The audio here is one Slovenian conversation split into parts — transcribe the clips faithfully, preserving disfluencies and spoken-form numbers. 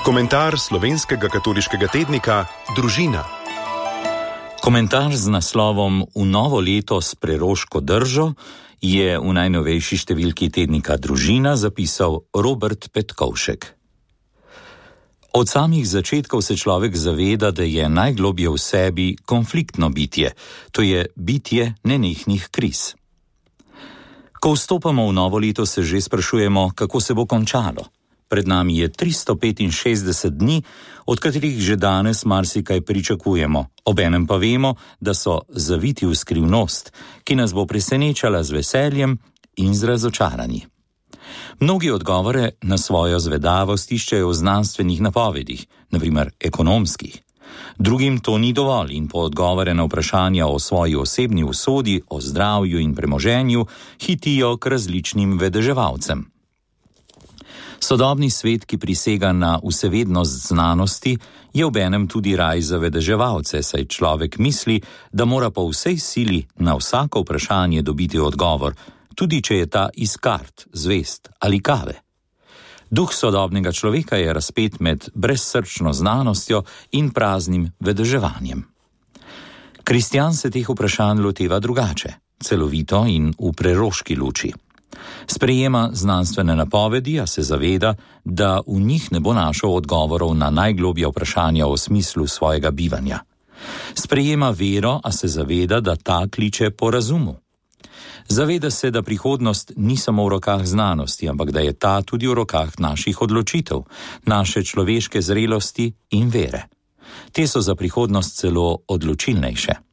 Komentar slovenskega katoliškega tednika Družina. Komentar z naslovom V novo leto s preroško držo je v najnovejši številki tednika Družina zapisal Robert Petkovšek. Od samih začetkov se človek zaveda, da je najglobje v sebi konfliktno bitje, to je bitje nenehnih kriz. Ko vstopamo v novo leto, se že sprašujemo, kako se bo končalo. Pred nami je tristo petinšestdeset dni, od katerih že danes marsikaj pričakujemo, obenem pa vemo, da so zaviti v skrivnost, ki nas bo presenečala z veseljem in z razočaranji. Mnogi odgovore na svojo zvedavost iščejo v znanstvenih napovedih, na primer ekonomskih. Drugim to ni dovolj in po odgovore na vprašanja o svoji osebni usodi, o zdravju in premoženju hitijo k različnim vedeževalcem. Sodobni svet, ki prisega na vsevednost znanosti, je obenem tudi raj za vedeževalce, saj človek misli, da mora po vsej sili na vsako vprašanje dobiti odgovor, tudi če je ta iz kart, zvest ali kave. Duh sodobnega človeka je razpet med brezsrčno znanostjo in praznim vedeževanjem. Kristjan se teh vprašanj loteva drugače, celovito in v preroški luči. Sprejema znanstvene napovedi, a se zaveda, da v njih ne bo našel odgovorov na najglobja vprašanja o smislu svojega bivanja. Sprejema vero, a se zaveda, da ta kliče po razumu. Zaveda se, da prihodnost ni samo v rokah znanosti, ampak da je ta tudi v rokah naših odločitev, naše človeške zrelosti in vere. Te so za prihodnost celo odločilnejše.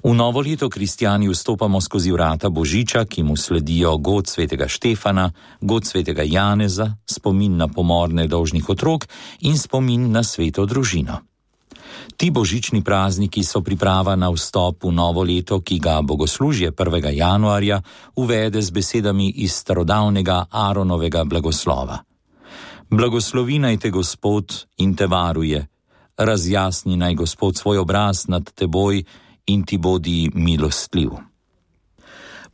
V novo leto kristjani vstopamo skozi vrata Božiča, ki mu sledijo god svetega Štefana, god svetega Janeza, spomin na pomor nedolžnih otrok in spomin na sveto družino. Ti božični prazniki so priprava na vstop v novo leto, ki ga bogoslužje prvega januarja uvede z besedami iz starodavnega Aaronovega blagoslova. Blagoslovi naj te Gospod in te varuje, razjasni naj Gospod svoj obraz nad teboj in ti bodi milostljiv.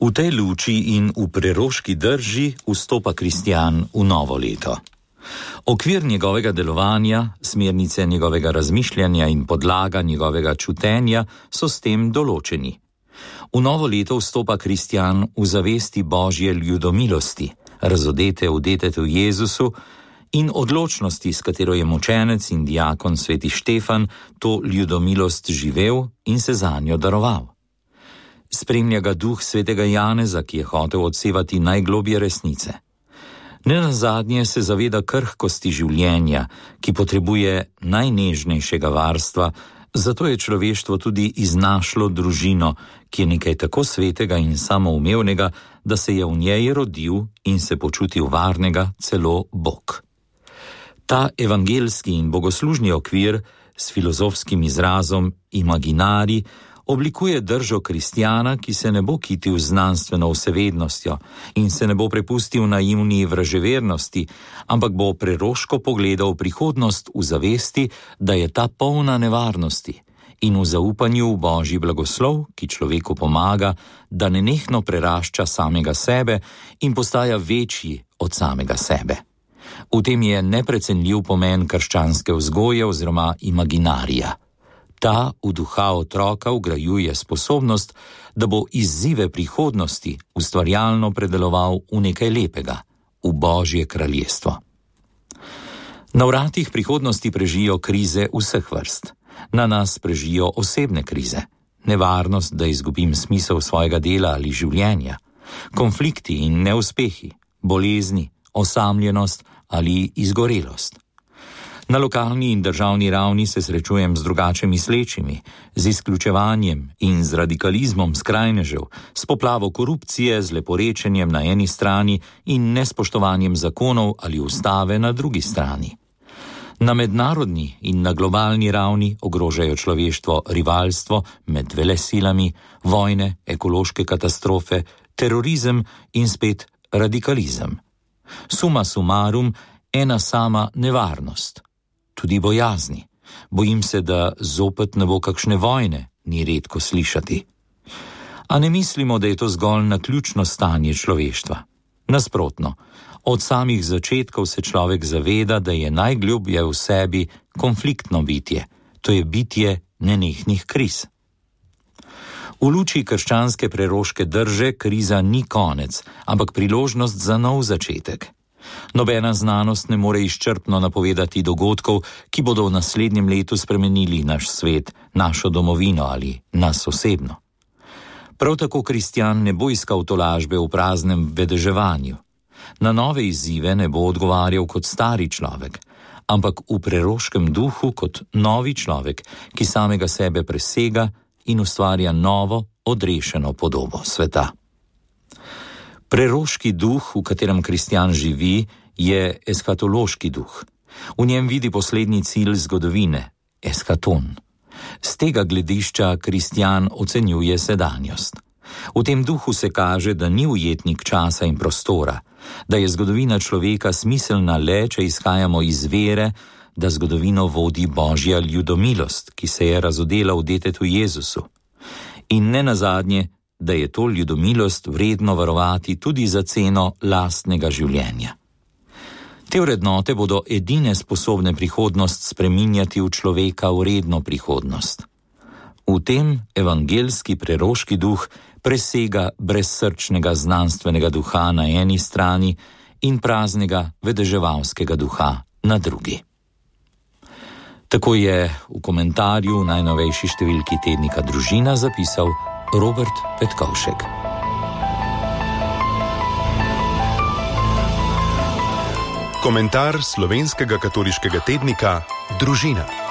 V tej luči in v preroški drži vstopa kristjan v novo leto. Okvir njegovega delovanja, smernice njegovega razmišljanja in podlaga njegovega čutenja so s tem določeni. V novo leto vstopa kristjan v zavesti Božje ljudomilosti, razodete v detetu Jezusu in odločnosti, s katero je mučenec in diakon sveti Štefan to ljudomilost živel in se zanjo daroval. Spremlja ga duh svetega Janeza, ki je hotel odsevati najglobje resnice. Nenazadnje se zaveda krhkosti življenja, ki potrebuje najnežnejšega varstva, zato je človeštvo tudi iznašlo družino, ki je nekaj tako svetega in samoumevnega, da se je v njej rodil in se počutil varnega celo Bog. Ta evangelski in bogoslužni okvir s filozofskim izrazom imaginari oblikuje držo kristjana, ki se ne bo kitil znanstveno vsevednostjo in se ne bo prepustil naivni vraževernosti, ampak bo preroško pogledal prihodnost v zavesti, da je ta polna nevarnosti in v zaupanju v Božji blagoslov, ki človeku pomaga, da nenehno prerašča samega sebe in postaja večji od samega sebe. V tem je neprecenljiv pomen krščanske vzgoje oziroma imaginarija. Ta v duha otroka vgrajuje sposobnost, da bo izzive prihodnosti ustvarjalno predeloval v nekaj lepega, v Božje kraljestvo. Na vratih prihodnosti prežijo krize vseh vrst. Na nas prežijo osebne krize, nevarnost, da izgubim smisel svojega dela ali življenja, konflikti in neuspehi, bolezni, osamljenost ali izgorelost. Na lokalni in državni ravni se srečujem z drugače mislečimi, z izključevanjem in z radikalizmom skrajnežev, s poplavo korupcije, z leporečenjem na eni strani in nespoštovanjem zakonov ali ustave na drugi strani. Na mednarodni in na globalni ravni ogrožajo človeštvo rivalstvo med velesilami, vojne, ekološke katastrofe, terorizem in spet radikalizem. Suma sumarum, ena sama nevarnost. Tudi bojazni. Bojim se, da zopet ne bo kakšne vojne, ni redko slišati. A ne mislimo, da je to zgolj naključno stanje človeštva. Nasprotno, od samih začetkov se človek zaveda, da je najglobje v sebi konfliktno bitje, to je bitje nenehnih kriz. V luči krščanske preroške drže kriza ni konec, ampak priložnost za nov začetek. Nobena znanost ne more izčrpno napovedati dogodkov, ki bodo v naslednjem letu spremenili naš svet, našo domovino ali nas osebno. Prav tako kristjan ne bo iskal tolažbe v praznem vedeževanju. Na nove izzive ne bo odgovarjal kot stari človek, ampak v preroškem duhu kot novi človek, ki samega sebe presega in ustvarja novo, odrešeno podobo sveta. Preroški duh, v katerem kristjan živi, je eskatološki duh. V njem vidi poslednji cilj zgodovine, eskaton. Z tega gledišča kristjan ocenjuje sedanjost. V tem duhu se kaže, da ni ujetnik časa in prostora, da je zgodovina človeka smiselna le, če izhajamo iz vere, da zgodovino vodi Božja ljudomilost, ki se je razodela v detetu Jezusu. In ne nazadnje, da je to ljudomilost vredno varovati tudi za ceno lastnega življenja. Te vrednote bodo edine sposobne prihodnost spreminjati v človeka vredno prihodnost. V tem evangelski preroški duh presega brezsrčnega znanstvenega duha na eni strani in praznega vedeževalskega duha na drugi. Tako je v komentarju v najnovejši številki tednika Družina zapisal Robert Petkovšek. Komentar slovenskega katoliškega tednika Družina.